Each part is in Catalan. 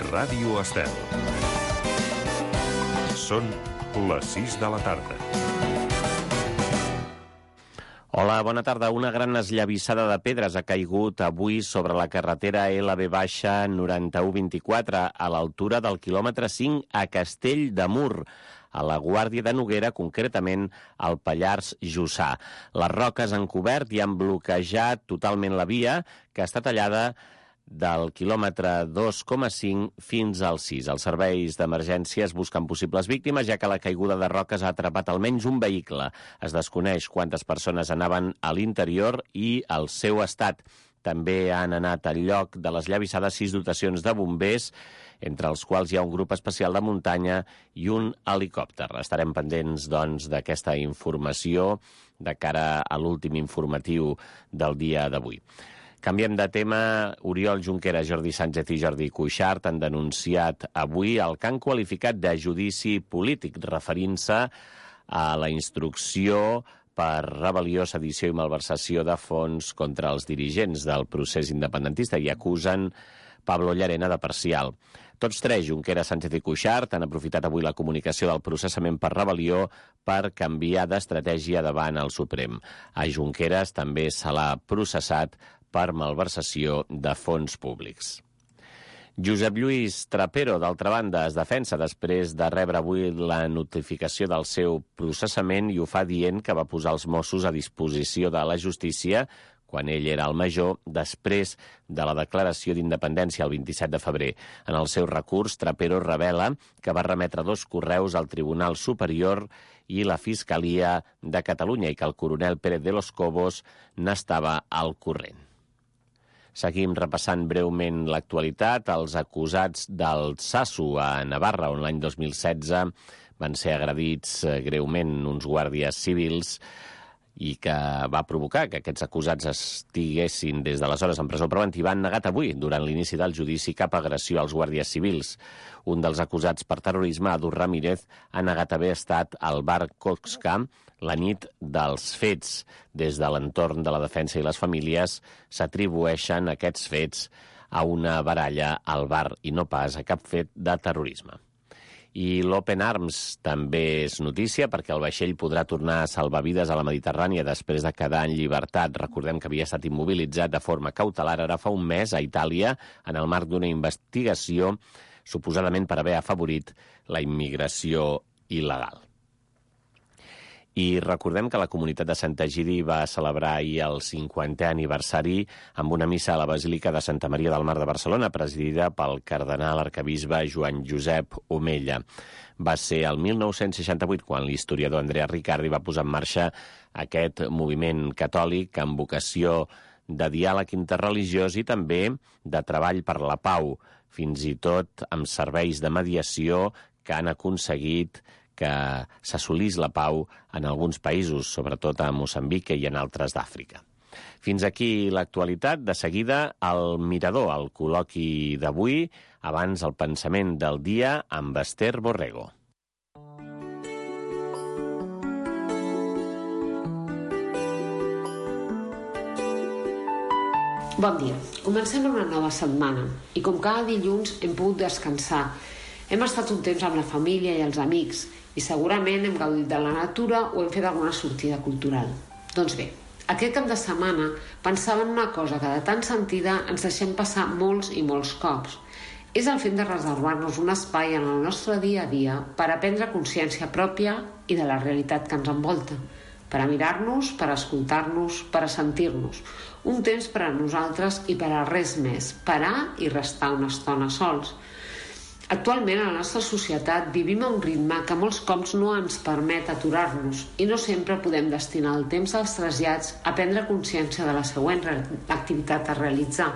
Ràdio Estel. Són les 6 de la tarda. Hola, bona tarda. Una gran esllavissada de pedres ha caigut avui sobre la carretera LB-9124 a l'altura del quilòmetre 5 a Castell de Mur, a la Guàrdia de Noguera, concretament al Pallars Jussà. Les roques han cobert i han bloquejat totalment la via, que està tallada del quilòmetre 2,5 fins al 6. Els serveis d'emergències busquen possibles víctimes, ja que la caiguda de roques ha atrapat almenys un vehicle. Es desconeix quantes persones anaven a l'interior i el seu estat. També han anat al lloc de l'esllavissada 6 dotacions de bombers, entre els quals hi ha un grup especial de muntanya i un helicòpter. Estarem pendents, doncs, d'aquesta informació de cara a l'últim informatiu del dia d'avui. Canviem de tema. Oriol Junqueras, Jordi Sánchez i Jordi Cuixart han denunciat avui el que han qualificat de judici polític, referint-se a la instrucció per rebel·lió, sedició i malversació de fons contra els dirigents del procés independentista i acusen Pablo Llarena de parcial. Tots tres, Junqueras, Sánchez i Cuixart, han aprofitat avui la comunicació del processament per rebel·lió per canviar d'estratègia davant el Suprem. A Junqueras també se l'ha processat per malversació de fons públics. Josep Lluís Trapero, d'altra banda, es defensa després de rebre avui la notificació del seu processament i ho fa dient que va posar els Mossos a disposició de la justícia quan ell era el major, després de la declaració d'independència el 27 de febrer. En el seu recurs, Trapero revela que va remetre 2 correus al Tribunal Superior i la Fiscalia de Catalunya i que el coronel Pérez de los Cobos n'estava al corrent. Seguim repassant breument l'actualitat. Els acusats del Sasu a Navarra, on l'any 2016 van ser agredits greument uns guàrdies civils i que va provocar que aquests acusats estiguessin des d'aleshores en presó preventiva, han negat avui, durant l'inici del judici, cap agressió als guàrdies civils. Un dels acusats per terrorisme, Adu Ramírez, ha negat haver estat al bar Koxka la nit dels fets. Des de l'entorn de la defensa i les famílies s'atribueixen aquests fets a una baralla al bar i no pas a cap fet de terrorisme. I l'Open Arms també és notícia perquè el vaixell podrà tornar a salvar vides a la Mediterrània després de quedar en llibertat. Recordem que havia estat immobilitzat de forma cautelar ara fa un mes a Itàlia en el marc d'una investigació suposadament per haver afavorit la immigració il·legal. I recordem que la comunitat de Sant Egidi va celebrar ahir el 50è aniversari amb una missa a la Basílica de Santa Maria del Mar de Barcelona, presidida pel cardenal arquebisbe Joan Josep Omella. Va ser el 1968 quan l'historiador Andrea Riccardi va posar en marxa aquest moviment catòlic amb vocació de diàleg interreligiós i també de treball per la pau, fins i tot amb serveis de mediació que han aconseguit que s'assolís la pau en alguns països, sobretot a Moçambic i en altres d'Àfrica. Fins aquí l'actualitat. De seguida, el Mirador, el col·loqui d'avui, abans el pensament del dia amb Esther Borrego. Bon dia. Comencem una nova setmana i com cada dilluns hem pogut descansar. Hem estat un temps amb la família i els amics i segurament hem gaudit de la natura o hem fet alguna sortida cultural. Doncs bé, aquest cap de setmana pensava en una cosa que de tan sentida ens deixem passar molts i molts cops. És el fet de reservar-nos un espai en el nostre dia a dia per a prendre consciència pròpia i de la realitat que ens envolta, per a mirar-nos, per a escoltar-nos, per a sentir-nos. Un temps per a nosaltres i per a res més, parar i restar una estona sols. Actualment, a la nostra societat vivim a un ritme que molts cops no ens permet aturar-nos i no sempre podem destinar el temps dels trasllats a prendre consciència de la següent activitat a realitzar,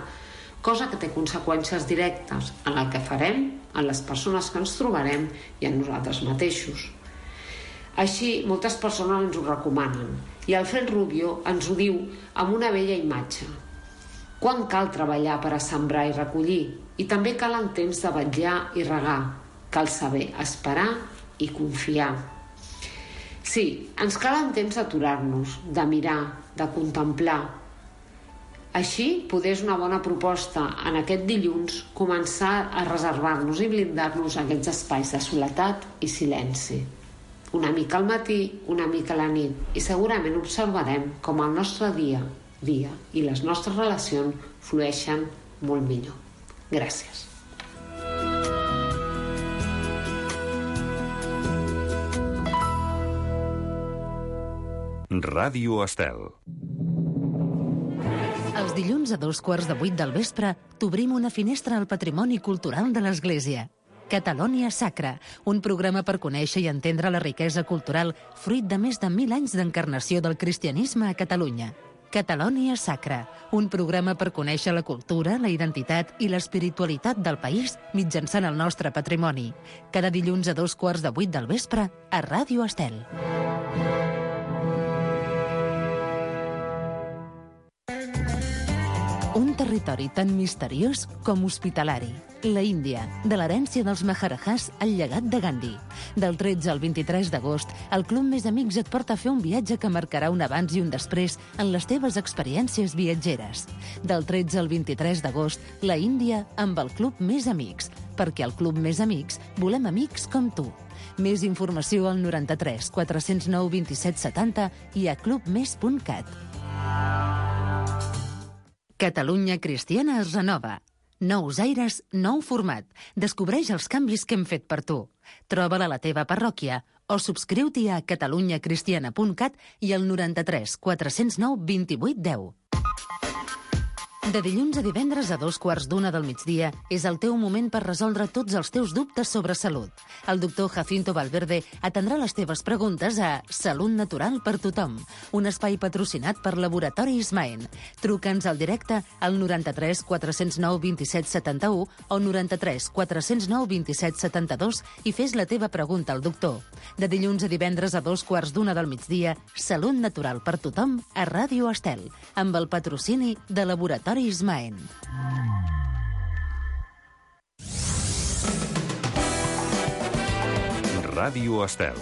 cosa que té conseqüències directes en el que farem, en les persones que ens trobarem i en nosaltres mateixos. Així, moltes persones ens ho recomanen i Alfred Rubio ens ho diu amb una bella imatge. Quan cal treballar per a sembrar i recollir? I també calen temps de vetllar i regar. Cal saber esperar i confiar. Sí, ens calen temps d'aturar-nos, de mirar, de contemplar. Així, poder és una bona proposta en aquest dilluns començar a reservar-nos i blindar-nos aquests espais de soledat i silenci. Una mica al matí, una mica a la nit, i segurament observarem com el nostre dia i les nostres relacions flueixen molt millor. Gràcies. Ràdio Estel. Els dilluns a 7:15 del vespre t'obrim una finestra al patrimoni cultural de l'Església. Catalònia Sacra, un programa per conèixer i entendre la riquesa cultural fruit de més de 1.000 anys d'encarnació del cristianisme a Catalunya. Catalònia Sacra, un programa per conèixer la cultura, la identitat i l'espiritualitat del país mitjançant el nostre patrimoni. Cada dilluns a 7:15 del vespre a Ràdio Estel. Un territori tan misteriós com hospitalari. La Índia, de l'herència dels Maharajahs al llegat de Gandhi. Del 13 al 23 d'agost, el Club Més Amics et porta a fer un viatge que marcarà un abans i un després en les teves experiències viatgeres. Del 13 al 23 d'agost, la Índia amb el Club Més Amics, perquè al Club Més Amics volem amics com tu. Més informació al 93 409 27 70 i a clubmes.cat. Catalunya Cristiana es renova. Nous aires, nou format. Descobreix els canvis que hem fet per tu. Troba-la a la teva parròquia o subscriu-t'hi a catalunyacristiana.cat i al 93 409 28 10. De dilluns a divendres a 2:15 del migdia és el teu moment per resoldre tots els teus dubtes sobre salut. El doctor Jacinto Valverde atendrà les teves preguntes a Salut Natural per Tothom, un espai patrocinat per Laboratoris Maen. Truca'ns al directe al 93 409 27 71 o 93 409 27 72 i fes la teva pregunta al doctor. De dilluns a divendres a 2:15 del migdia, Salut Natural per Tothom a Ràdio Estel, amb el patrocini de Laboratoris Maen. Ràdio Estel.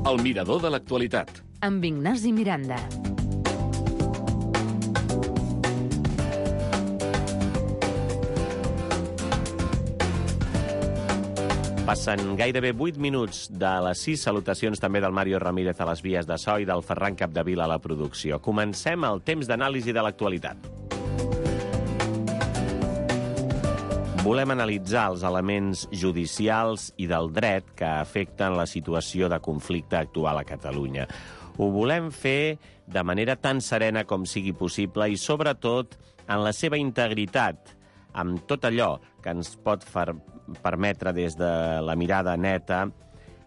El mirador de l'actualitat. Amb Ignasi Miranda. Passen gairebé 8 minuts de les 6. Salutacions també del Mario Ramírez a les vies de so i del Ferran Capdevila a la producció. Comencem el temps d'anàlisi de l'actualitat. Volem analitzar els elements judicials i del dret que afecten la situació de conflicte actual a Catalunya. Ho volem fer de manera tan serena com sigui possible i, sobretot, en la seva integritat, amb tot allò que ens pot permetre des de la mirada neta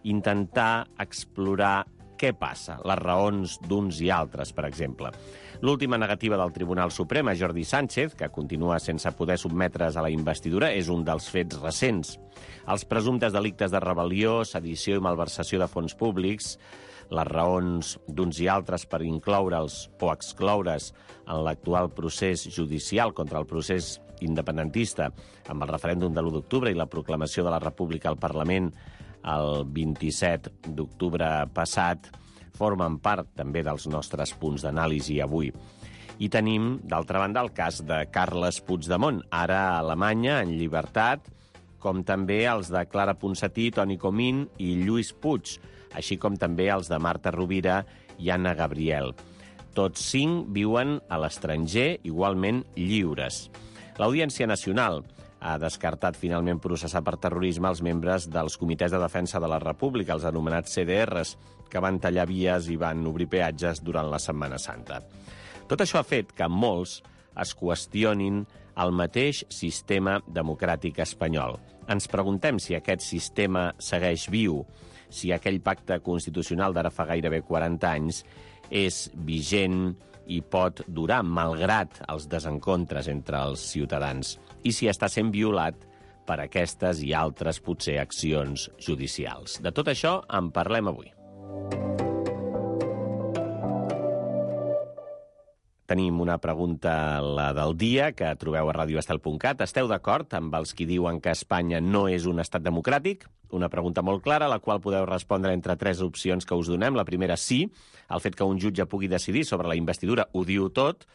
intentar explorar què passa, les raons d'uns i altres, per exemple. L'última negativa del Tribunal Suprem a Jordi Sánchez, que continua sense poder sotmetre's a la investidura, és un dels fets recents. Els presumptes delictes de rebel·lió, sedició i malversació de fons públics, les raons d'uns i altres per incloure'ls o excloure's en l'actual procés judicial contra el procés independentista, amb el referèndum de l'1 d'octubre i la proclamació de la República al Parlament el 27 d'octubre passat, formen part també dels nostres punts d'anàlisi avui. I tenim, d'altra banda, el cas de Carles Puigdemont, ara a Alemanya, en llibertat, com també els de Clara Ponsatí, Toni Comín i Lluís Puig, així com també els de Marta Rovira i Anna Gabriel. Tots 5 viuen a l'estranger, igualment lliures. L'Audiència Nacional ha descartat finalment processar per terrorisme els membres dels Comitès de Defensa de la República, els anomenats CDRs, que van tallar vies i van obrir peatges durant la Setmana Santa. Tot això ha fet que molts es qüestionin el mateix sistema democràtic espanyol. Ens preguntem si aquest sistema segueix viu, si aquell pacte constitucional d'ara fa gairebé 40 anys és vigent i pot durar, malgrat els desencontres entre els ciutadans, i si està sent violat per aquestes i altres, potser, accions judicials. De tot això en parlem avui. Tenim una pregunta, la del dia, que trobeu a radioestel.cat. Esteu d'acord amb els qui diuen que Espanya no és un estat democràtic? Una pregunta molt clara, a la qual podeu respondre entre 3 opcions que us donem. La primera, sí. El fet que un jutge pugui decidir sobre la investidura ho diu tot.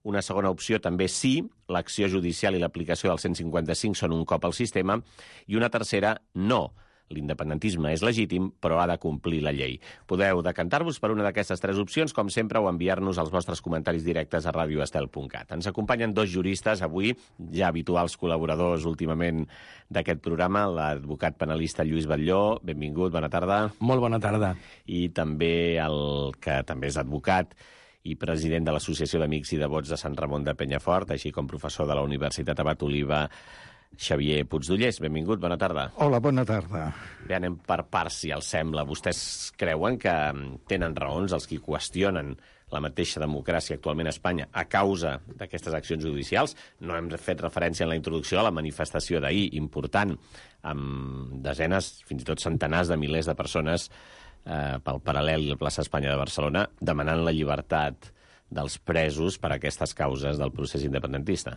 Una segona opció, també sí. L'acció judicial i l'aplicació del 155 són un cop al sistema. I una tercera, no. L'independentisme és legítim, però ha de complir la llei. Podeu decantar-vos per una d'aquestes 3 opcions, com sempre, o enviar-nos els vostres comentaris directes a radioestel.cat. Ens acompanyen 2 juristes avui, ja habituals col·laboradors últimament d'aquest programa, l'advocat penalista Lluís Batlló. Benvingut, bona tarda. Molt bona tarda. I també el que també és advocat i president de l'Associació d'Amics i Devots de Sant Ramon de Penyafort, així com professor de la Universitat Abat Oliva, Xavier Puigdollers. Benvingut, bona tarda. Hola, bona tarda. Bé, anem per parts, si els sembla. Vostès creuen que tenen raons els qui qüestionen la mateixa democràcia actualment a Espanya a causa d'aquestes accions judicials? No hem fet referència en la introducció a la manifestació d'ahir, important, amb desenes, fins i tot centenars de milers de persones pel Paral·lel i la plaça Espanya de Barcelona, demanant la llibertat dels presos per a aquestes causes del procés independentista.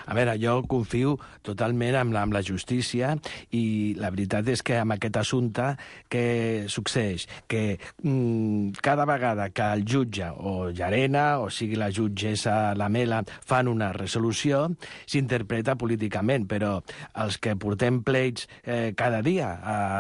A veure, jo confio totalment en la justícia i la veritat és que amb aquest assumpte què succeeix? Que cada vegada que el jutge o Llarena, o sigui la jutgessa Lamela, fan una resolució, s'interpreta políticament, però els que portem pleits cada dia,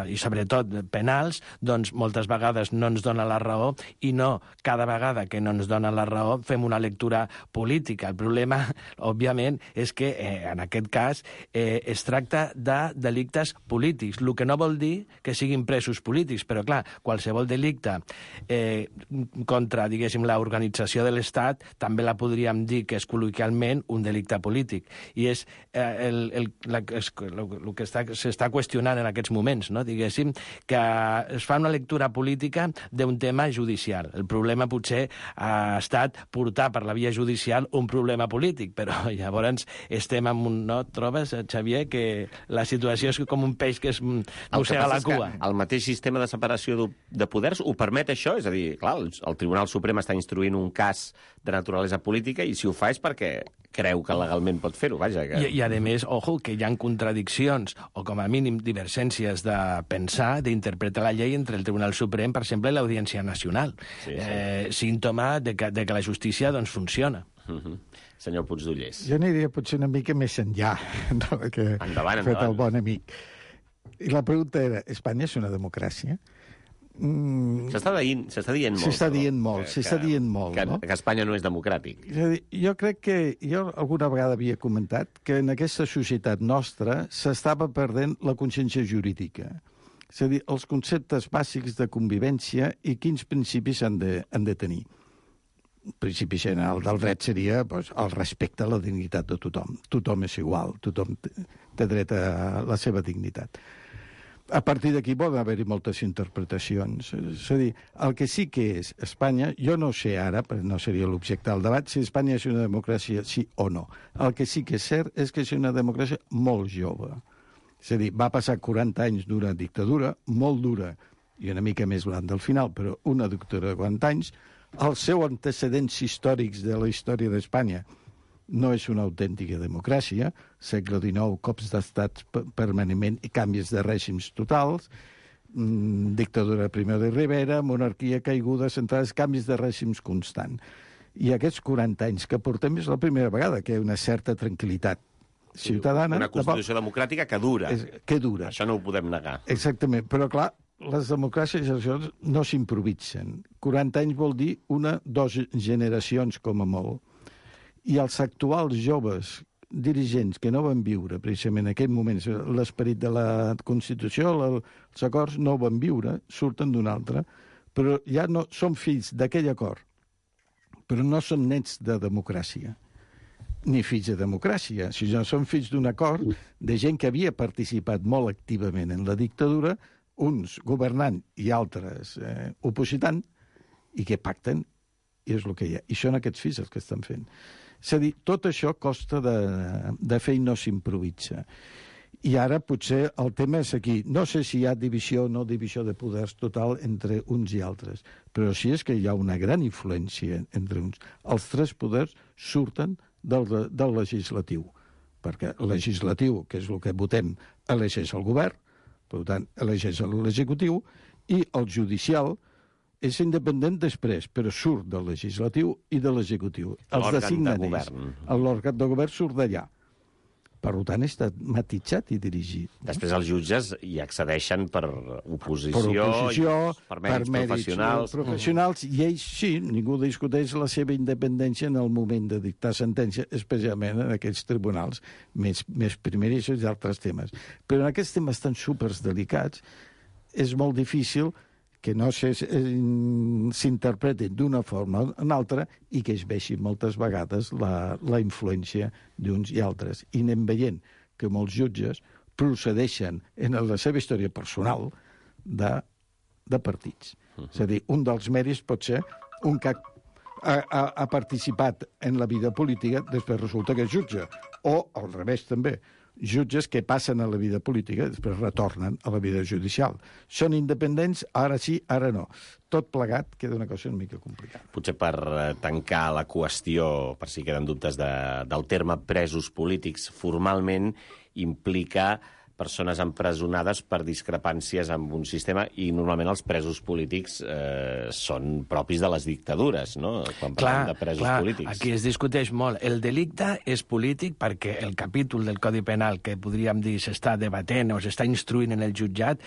i sobretot penals, doncs moltes vegades no ens dona la raó i no cada vegada que no ens dona la raó fem una lectura política. El problema, òbviament, és que en aquest cas es tracta de delictes polítics, el que no vol dir que siguin presos polítics, però clar, qualsevol delicte contra, diguéssim, l'organització de l'Estat també la podríem dir que és col·loquialment un delicte polític. I és el que s'està qüestionant en aquests moments, no? Diguéssim, que es fa una lectura política d'un tema judicial. El problema potser ha estat portar per la via judicial un problema polític, però llavors estem en un... No trobes, Xavier, que la situació és com un peix que es mossega la cua? El mateix sistema de separació de poders ho permet això? És a dir, clar, el Tribunal Suprem està instruint un cas de naturalesa política i si ho fa és perquè creu que legalment pot fer-ho, vaja. Que... I a més, ojo, que hi ha contradiccions o com a mínim divergències de pensar, d'interpretar la llei entre el Tribunal Suprem, per exemple, i l'Audiència Nacional. Sí. Símptoma de que la justícia doncs, funciona. Senyor Puigdollers. Jo aniria potser una mica més enllà del que ha fet el bon amic. I la pregunta era, Espanya és una democràcia? S'està dient molt. S'està dient molt, no? Que Espanya no és democràtic. És a dir, jo crec que... Jo alguna vegada havia comentat que en aquesta societat nostra s'estava perdent la consciència jurídica. És a dir, els conceptes bàsics de convivència i quins principis han de tenir. El principi general del dret seria doncs, el respecte a la dignitat de tothom. Tothom és igual, tothom té dret a la seva dignitat. A partir d'aquí poden haver-hi moltes interpretacions. És a dir, el que sí que és Espanya, jo no sé ara, però no seria l'objecte del debat, si Espanya és una democràcia sí o no. El que sí que és cert és que és una democràcia molt jove. És a dir, va passar 40 anys d'una dictadura, molt dura, i una mica més blanc del final, però una dictadura de 40 anys. Els seus antecedents històrics de la història d'Espanya no és una autèntica democràcia, segle XIX, cops d'estat permanentment i canvis de règims totals, dictadura Primo de Rivera, monarquia caiguda, centrades, canvis de règims constant. I aquests 40 anys que portem és la primera vegada que hi ha una certa tranquil·litat ciutadana. Una constitució democràtica que dura. Que dura. Això no ho podem negar. Exactament, però clar, les democràcies no s'improvisen. 40 anys vol dir 2 generacions com a molt. I els actuals joves dirigents que no van viure precisament en aquest moment l'esperit de la Constitució, els acords no van viure, surten d'un altre, però ja no són fills d'aquell acord, però no són nets de democràcia, ni fills de democràcia, sinó són fills d'un acord de gent que havia participat molt activament en la dictadura, uns governant i altres opositant, i que pacten, i és el que hi ha. I són aquests fills els que estan fent. És a dir, tot això costa de fer i no s'improvisa. I ara potser el tema és aquí. No sé si hi ha divisió o no divisió de poders total entre uns i altres, però sí és que hi ha una gran influència entre uns. Els tres poders surten del legislatiu, perquè el legislatiu, que és el que votem, elegeix el govern, per tant, elegeix l'executiu, i el judicial és independent després, però surt del legislatiu i de l'executiu. L'òrgan de govern. L'òrgan de govern surt d'allà. Per tant, està matitzat i dirigit. Després els jutges hi accedeixen per oposició, per mèrits professionals, i ells sí, ningú discuteix la seva independència en el moment de dictar sentència, especialment en aquests tribunals més primerissos i altres temes. Però en aquests temes tan superdelicats és molt difícil que no s'interpretin d'una forma o una altra i que es vegi moltes vegades la influència d'uns i altres. I anem veient que molts jutges procedeixen en la seva història personal de partits. És a dir, un dels mèrits pot ser un que ha participat en la vida política, després resulta que és jutge. O, al revés, també, jutges que passen a la vida política i després retornen a la vida judicial. Són independents, ara sí, ara no. Tot plegat queda una cosa una mica complicada. Potser per tancar la qüestió, per si queden dubtes del terme presos polítics, formalment implica persones empresonades per discrepàncies amb un sistema, i normalment els presos polítics són propis de les dictadures, no? Quan parlem de presos polítics. Aquí es discuteix molt. El delicte és polític perquè el capítol del Codi Penal que podríem dir s'està debatent o s'està instruint en el jutjat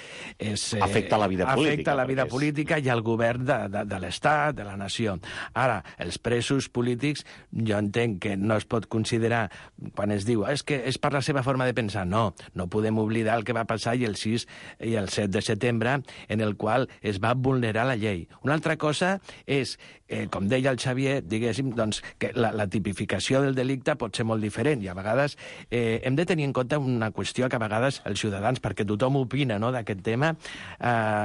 afecta la vida política. Afecta la vida política i el govern de l'Estat, de la nació. Ara, els presos polítics, jo entenc que no es pot considerar, quan es diu és que és per la seva forma de pensar. No podem oblidar el que va passar el 6 i el 7 de setembre, en el qual es va vulnerar la llei. Una altra cosa és, com deia el Xavier, diguéssim, doncs, que la tipificació del delicte pot ser molt diferent, i a vegades hem de tenir en compte una qüestió que a vegades els ciutadans, perquè tothom opina, no, d'aquest tema,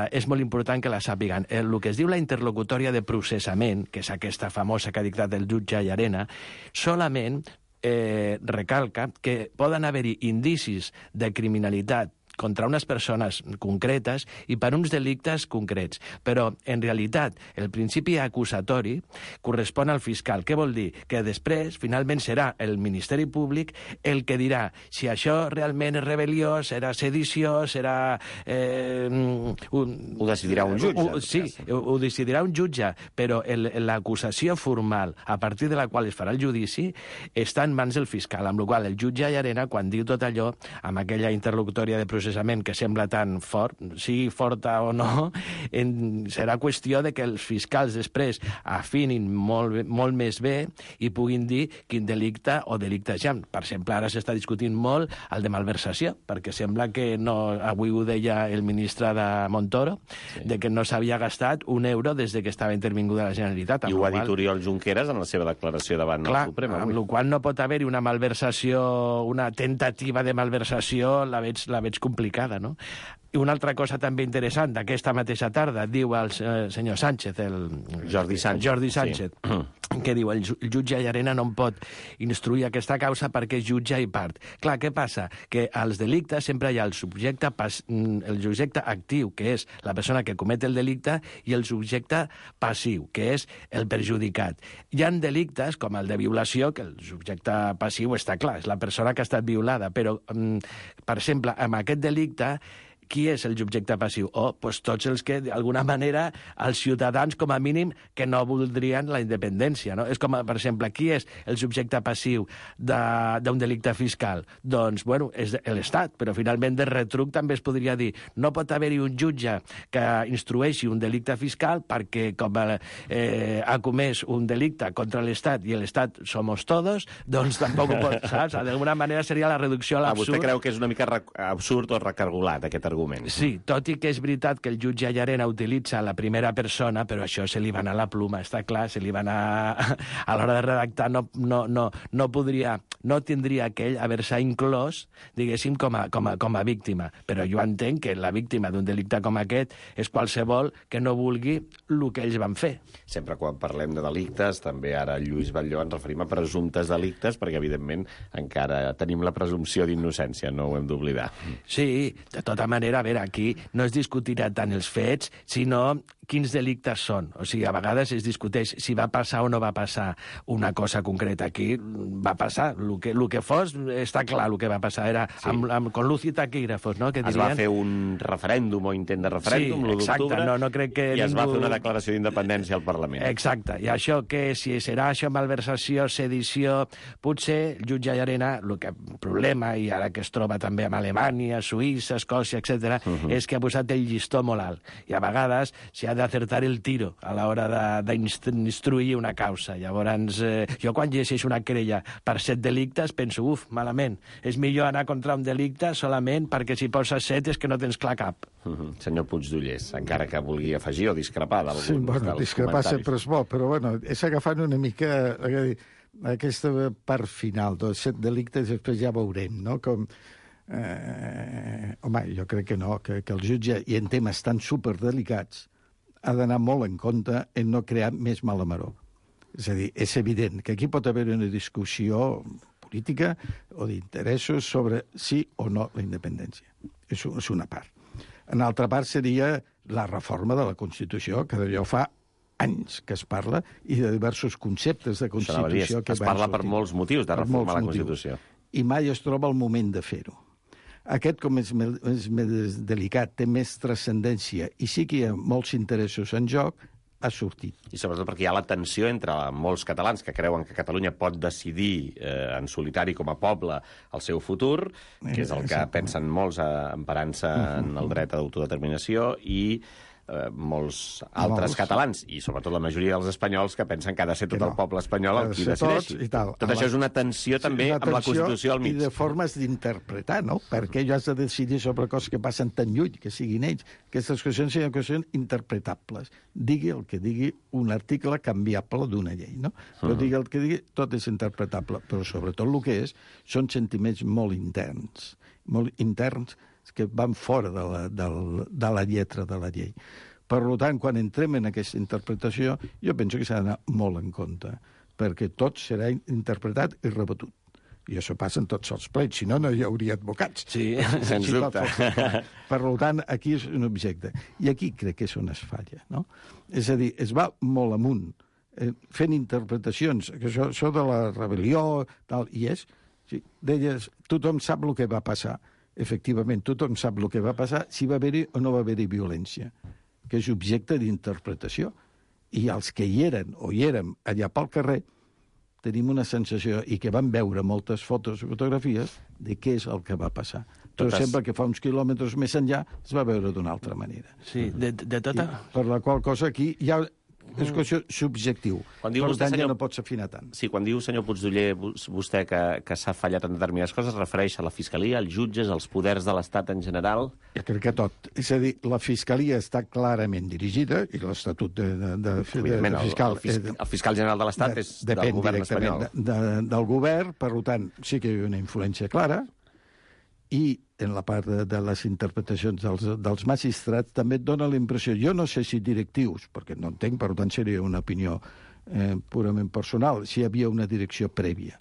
és molt important que la sàpiguen. El que es diu la interlocutòria de processament, que és aquesta famosa que ha dictat el jutge Llarena, solament recalca que poden haver-hi indicis de criminalitat contra unes persones concretes i per uns delictes concrets. Però, en realitat, el principi acusatori correspon al fiscal. Què vol dir? Que després, finalment, serà el Ministeri Públic el que dirà si això realment és rebel·lió, serà sedició, serà... Ho decidirà un jutge. Sí, ho decidirà un jutge, però l'acusació formal, a partir de la qual es farà el judici, està en mans del fiscal, amb la qual el jutge Llarena, quan diu tot allò, amb aquella interlocutòria de processament que sembla tan fort, sigui forta o no, serà qüestió de que els fiscals després afinin molt més bé i puguin dir quin delicte o delictes hi ha. Per exemple, ara s'està discutint molt el de malversació, perquè sembla que no, avui ho deia el ministre de Montoro, de que no s'havia gastat un euro des que estava intervinguda la Generalitat. I ho ha dit Oriol Junqueras en la seva declaració davant el Suprem. Amb la qual no pot haver-hi una malversació, una tentativa de malversació, la veig complicada, no? I una altra cosa també interessant, aquesta mateixa tarda, diu el senyor Sánchez, Jordi Sánchez, que diu el jutge Llarena no en pot instruir aquesta causa perquè és jutge i part. Clar, què passa? Que als delictes sempre hi ha el subjecte actiu, que és la persona que comet el delicte, i el subjecte passiu, que és el perjudicat. Hi ha delictes, com el de violació, que el subjecte passiu està clar, és la persona que ha estat violada, però, per exemple, amb aquest delicte, qui és el subjecte passiu? Doncs tots els que, d'alguna manera, els ciutadans, com a mínim, que no voldrien la independència, no? És com, per exemple, qui és el subjecte passiu d'un delicte fiscal? Doncs, bueno, és l'Estat, però finalment de retruc també es podria dir no pot haver-hi un jutge que instrueixi un delicte fiscal perquè, com ha comès un delicte contra l'Estat i l'Estat somos todos, doncs tampoc ho pot, saps? D'alguna manera seria la reducció a l'absurd. Vostè creu que és una mica absurd o recargolat, aquest argument? Sí, tot i que és veritat que el jutge Llarena utilitza la primera persona, però això se li va anar la pluma, està clar, se li va anar... A l'hora de redactar no podria... no tindria aquell haver-se inclòs, diguéssim, com a víctima. Però jo entenc que la víctima d'un delicte com aquest és qualsevol que no vulgui el que ells van fer. Sempre quan parlem de delictes, també ara Lluís Batlló ens referim a presumptes delictes, perquè evidentment encara tenim la presumpció d'innocència, no ho hem d'oblidar. Sí, de tota manera, a veure, aquí no es discutirà tant els fets, sinó quins delictes són. O sigui, a vegades es discuteix si va passar o no va passar una cosa concreta. Aquí va passar. El que fos, està clar el que va passar. Era con luz i taquígrafos, no? Que dirien... Es va fer un referèndum o intent de referèndum l'1 d'octubre, no crec que i es va fer una declaració d'independència al Parlament. Exacte. I això, que si serà això malversació, sedició, potser el jutge Llarena, el problema, i ara que es troba també amb Alemanya, Suïssa, Escòcia, etc., és que ha posat el llistó molt alt. I a vegades s'ha d'acertar el tiro a l'hora d'instruir una causa. Llavors, jo quan llegeixo una querella per 7 delictes penso, malament, és millor anar contra un delicte solament perquè si poses 7 és que no tens clar cap. Senyor Puigdollers, encara que vulgui afegir o discrepar d'alguns dels comentaris. Sí, discrepar sempre és bo, però és agafant una mica aquesta part final dels 7 delictes, després ja veurem, no? Com... home, jo crec que no, que el jutge, i en temes tan superdelicats, ha d'anar molt en compte en no crear més malamaró. És a dir, és evident que aquí pot haver una discussió política o d'interessos sobre sí o no la independència. És una part. Una altra part seria la reforma de la Constitució, que d'allò fa anys que es parla, i de diversos conceptes de Constitució que es parla per molts motius de reformar la Constitució. I mai es troba el moment de fer-ho. Aquest, com és més delicat, té més transcendència i sí que hi ha molts interessos en joc, ha sortit. I sobretot perquè hi ha la tensió entre molts catalans que creuen que Catalunya pot decidir en solitari com a poble el seu futur, que és el que pensen molts emparant-se en el dret a l'autodeterminació, i molts altres catalans, i sobretot la majoria dels espanyols, que pensen que ha de ser tot el poble espanyol el qui decideixi. Tot això és una tensió també amb la Constitució al mig. I de formes d'interpretar, no? Perquè jo has de decidir sobre coses que passen tan lluny, que siguin ells. Aquestes qüestions són qüestions interpretables. Digui el que digui un article canviable d'una llei, no? Però digui el que digui, tot és interpretable. Però sobretot el que són sentiments molt interns que van fora de la lletra de la llei. Per tant, quan entrem en aquesta interpretació, jo penso que s'ha d'anar molt en compte, perquè tot serà interpretat i rebatut. I això passa en tots els plets, si no, no hi hauria advocats. Sí, sens dubte. Per tant, aquí és un objecte. I aquí crec que és on es falla, no? És a dir, es va molt amunt, fent interpretacions, que això de la rebel·lió, tal, i és, sí, deies, tothom sap el que va passar. Efectivament, tothom sap el que va passar, si va haver-hi o no va haver-hi violència, que és objecte d'interpretació. I els que hi eren o hi érem allà pel carrer tenim una sensació, i que vam veure moltes fotos i fotografies, de què és el que va passar. Però sembla que fa uns quilòmetres més enllà es va veure d'una altra manera. Sí, de tota... Per la qual cosa aquí hi ha... És qüestió subjectiu. Per tant, ja no pots afinar tant. Sí, quan diu, senyor Puigdoller, vostè que s'ha fallat en determinades coses, es refereix a la Fiscalia, als jutges, als poders de l'Estat en general? Jo crec que tot. És a dir, la Fiscalia està clarament dirigida, i l'Estatut de fiscal... El fiscal general de l'Estat és del govern espanyol. Del govern, per tant, sí que hi ha una influència clara, i en la part de les interpretacions dels magistrats també et dona la impressió, jo no sé si directius, perquè no entenc, per tant seria una opinió purament personal, si hi havia una direcció prèvia,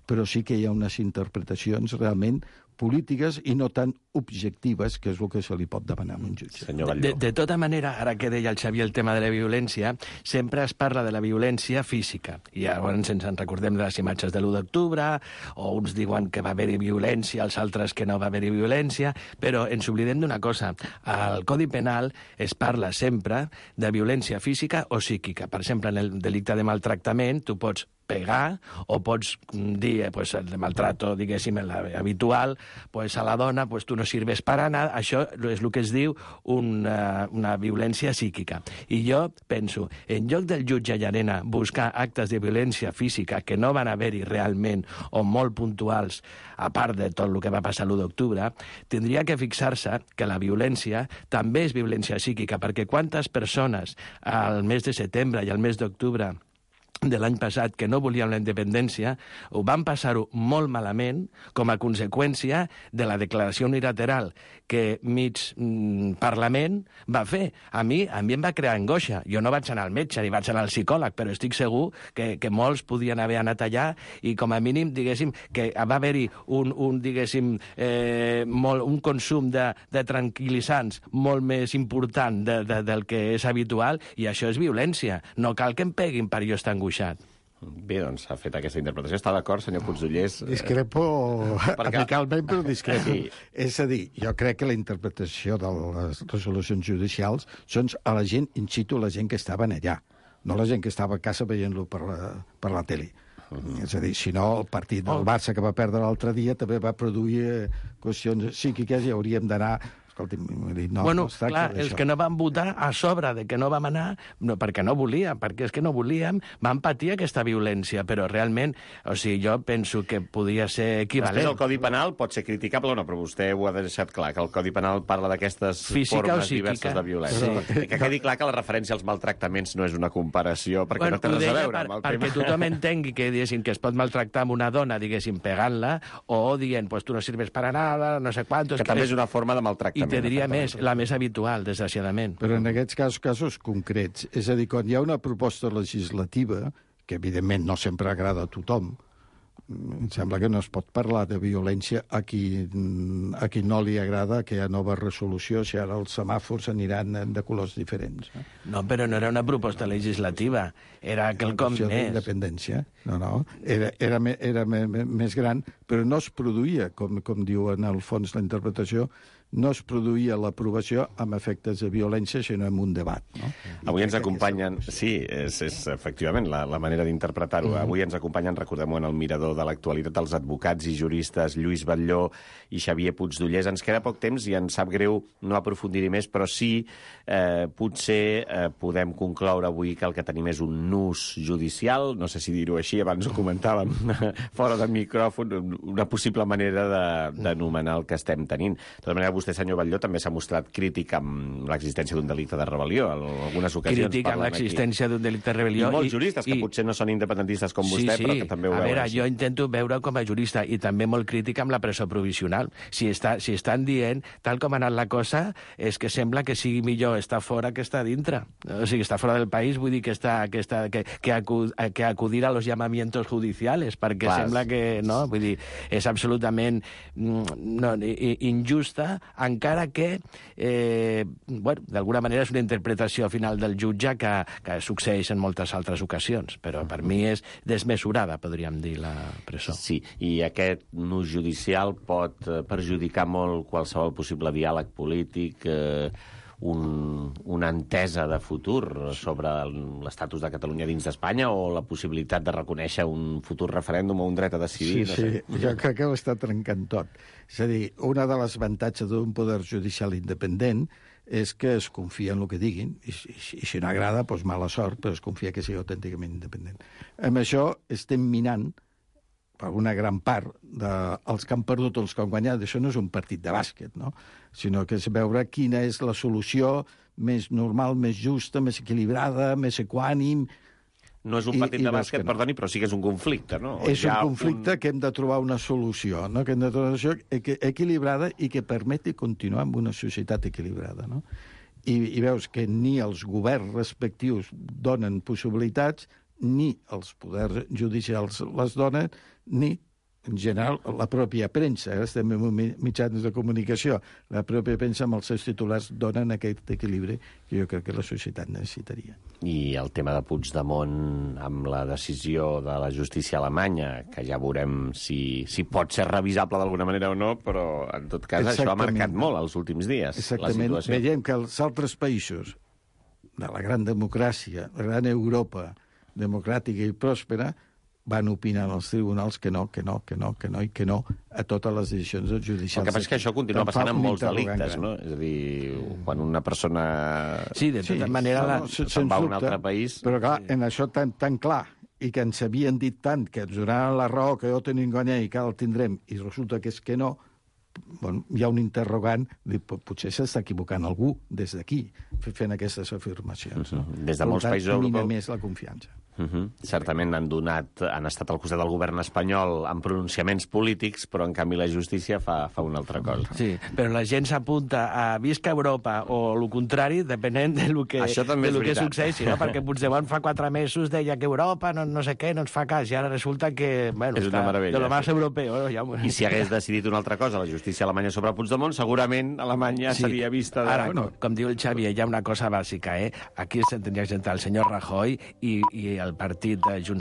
però sí que hi ha unes interpretacions realment polítiques i no tan objectives, que és el que se li pot demanar a un jutge. De tota manera, ara que deia el Xavier el tema de la violència, sempre es parla de la violència física. I llavors ens en recordem de les imatges de l'1 d'octubre, o uns diuen que va haver-hi violència, els altres que no va haver-hi violència, però ens oblidem d'una cosa. Al Codi Penal es parla sempre de violència física o psíquica. Per exemple, en el delicte de maltractament, tu pots pegar, o pots dir, pues, el de maltrato, diguéssim, habitual, pues, a la dona, pues, tu no sirves para nada. Això és el que es diu una violència psíquica. I jo penso, en lloc del jutge Llarena buscar actes de violència física que no van haver-hi realment, o molt puntuals, a part de tot el que va passar l'1 d'octubre, tindria que fixar-se que la violència també és violència psíquica, perquè quantes persones al mes de setembre i al mes d'octubre de l'any passat, que no volíem la independència, ho van passar-ho molt malament com a conseqüència de la declaració unilateral que mig Parlament va fer. A mi em va crear angoixa. Jo no vaig anar al metge ni vaig anar al psicòleg, però estic segur que molts podien haver anat allà i com a mínim, diguéssim, que va haver-hi un consum de tranquil·litzants molt més important del que és habitual, i això és violència. No cal que em peguin per jo estar angoixat. Bé, doncs s'ha fet aquesta interpretació. Està d'acord, senyor Puigdollers? Discrepo amicalment, però discrepo. Sí. És a dir, jo crec que la interpretació de les resolucions judicials són a la gent, in situ, la gent que estaven allà, no la gent que estava a casa veient-lo per la tele. És a dir, si no, el partit del Barça que va perdre l'altre dia també va produir qüestions psíquiques i hauríem d'anar... Escolti'm, no, bueno, no es tracta clar, d'això. els que no van votar a sobre de que no vam anar, no, perquè no volíem, perquè és que no volíem, van patir aquesta violència, però realment, o sigui, jo penso que podia ser equivalent. Després el Codi Penal pot ser criticable o no, però vostè ho ha deixat clar, que el Codi Penal parla d'aquestes formes diverses de violència. Sí. Que quedi clar que la referència als maltractaments no és una comparació, perquè no té res a veure amb el tema. Perquè tothom entengui que, diguéssim, que es pot maltractar amb una dona, diguéssim, pegant-la, o dient, pues tu no sirves para nada, no sé quantos... Que també és una forma de maltractament. I te diria més, la més habitual, desgraciadament. Però en aquests casos concrets, és a dir, quan hi ha una proposta legislativa, que evidentment no sempre agrada a tothom, em sembla que no es pot parlar de violència a qui no li agrada que hi ha nova resolució, si ara els semàfors aniran de colors diferents. No, però no era una proposta legislativa, era quelcom més. D'independència, no. Era més gran, però no es produïa, com diu en el fons la interpretació, no es produïa l'aprovació amb efectes de violència, sinó amb un debat. No? Avui ens acompanyen... Sí, és efectivament la manera d'interpretar-ho. Avui ens acompanyen, recordem-ho, en el mirador de l'actualitat, els advocats i juristes Lluís Batlló i Xavier Puigdollers. Ens queda poc temps i ens sap greu no aprofundir-hi més, però sí, potser podem concloure avui que el que tenim és un nus judicial, no sé si dir-ho així, abans ho comentàvem fora de micròfon, una possible manera d'anomenar el que estem tenint. De tota manera, vostè, senyor Batlló, també s'ha mostrat crític amb l'existència d'un delicte de rebel·lió. En algunes ocasions crític amb l'existència d'un delicte de rebel·lió. I molts juristes, que potser no són independentistes com vostè, però que també ho veuen. A veure, jo intento veure com a jurista, i també molt crític amb la presó provisional. Si estan dient, tal com ha anat la cosa, és que sembla que sigui millor estar fora que estar dintre. O sigui, estar fora del país vull dir que acudir a los llamamientos judiciales, perquè sembla que, no? Vull dir, és absolutament injusta, encara que, d'alguna manera és una interpretació final del jutge que succeeix en moltes altres ocasions, però per mi és desmesurada, podríem dir, la presó. Sí, i aquest nus judicial pot perjudicar molt qualsevol possible diàleg polític, una entesa de futur sobre l'estatus de Catalunya dins d'Espanya o la possibilitat de reconèixer un futur referèndum o un dret a decidir. Sí, jo crec que ho està trencant tot. És a dir, una de les avantatges d'un poder judicial independent és que es confia en el que diguin, i si no agrada, doncs mala sort, però es confia que sigui autènticament independent. Amb això estem minant per una gran part dels que han perdut o els que han guanyat. Això no és un partit de bàsquet, no? Sinó que és veure quina és la solució més normal, més justa, més equilibrada, més equànim. No és un partit de bàsquet, perdoni, però sí que és un conflicte, no? És un conflicte que hem de trobar una solució, no? Que hem de trobar una solució equilibrada i que permeti continuar amb una societat equilibrada, no? I veus que ni els governs respectius donen possibilitats, ni els poders judicials les donen, ni, en general, la pròpia premsa. Estem en mitjans de comunicació. La pròpia premsa amb els seus titulars donen aquest equilibri que jo crec que la societat necessitaria. I el tema de Puigdemont amb la decisió de la justícia alemanya, que ja veurem si pot ser revisable d'alguna manera o no, però en tot cas això ha marcat molt els últims dies. Exactament. La situació. Veiem que els altres països de la gran democràcia, la gran Europa democràtica i pròspera, van opinar als tribunals que no a totes les decisions judicials. El que passa és que això continua passant amb molts delictes, no? És a dir, quan una persona de tota manera se'n va a un altre país... Però clar, en això tan clar, i que ens havien dit tant, que ens donaran la raó, que jo tenim guanyat i que el tindrem, i resulta que és que no, hi ha un interrogant, potser s'està equivocant algú des d'aquí, fent aquestes afirmacions. Des de molts països europeus. Mina més la confiança. Certament han estat al costat del govern espanyol amb pronunciaments polítics, però en canvi la justícia fa una altra cosa. Sí, però la gent s'apunta a visca Europa o el contrari, depenent de lo que succeeixi, no? Perquè Puigdemont fa 4 mesos deia que Europa no sé què, no ens fa cas, i ara resulta que, bueno, és està meravella, de lo més europeu. Ja... I si hagués decidit una altra cosa la justícia alemanya sobre Puigdemont, segurament Alemanya seria vista... Ara, com diu el Xavier, hi ha una cosa bàsica, Aquí s'entendria que sentar el senyor Rajoy i el partit de Junts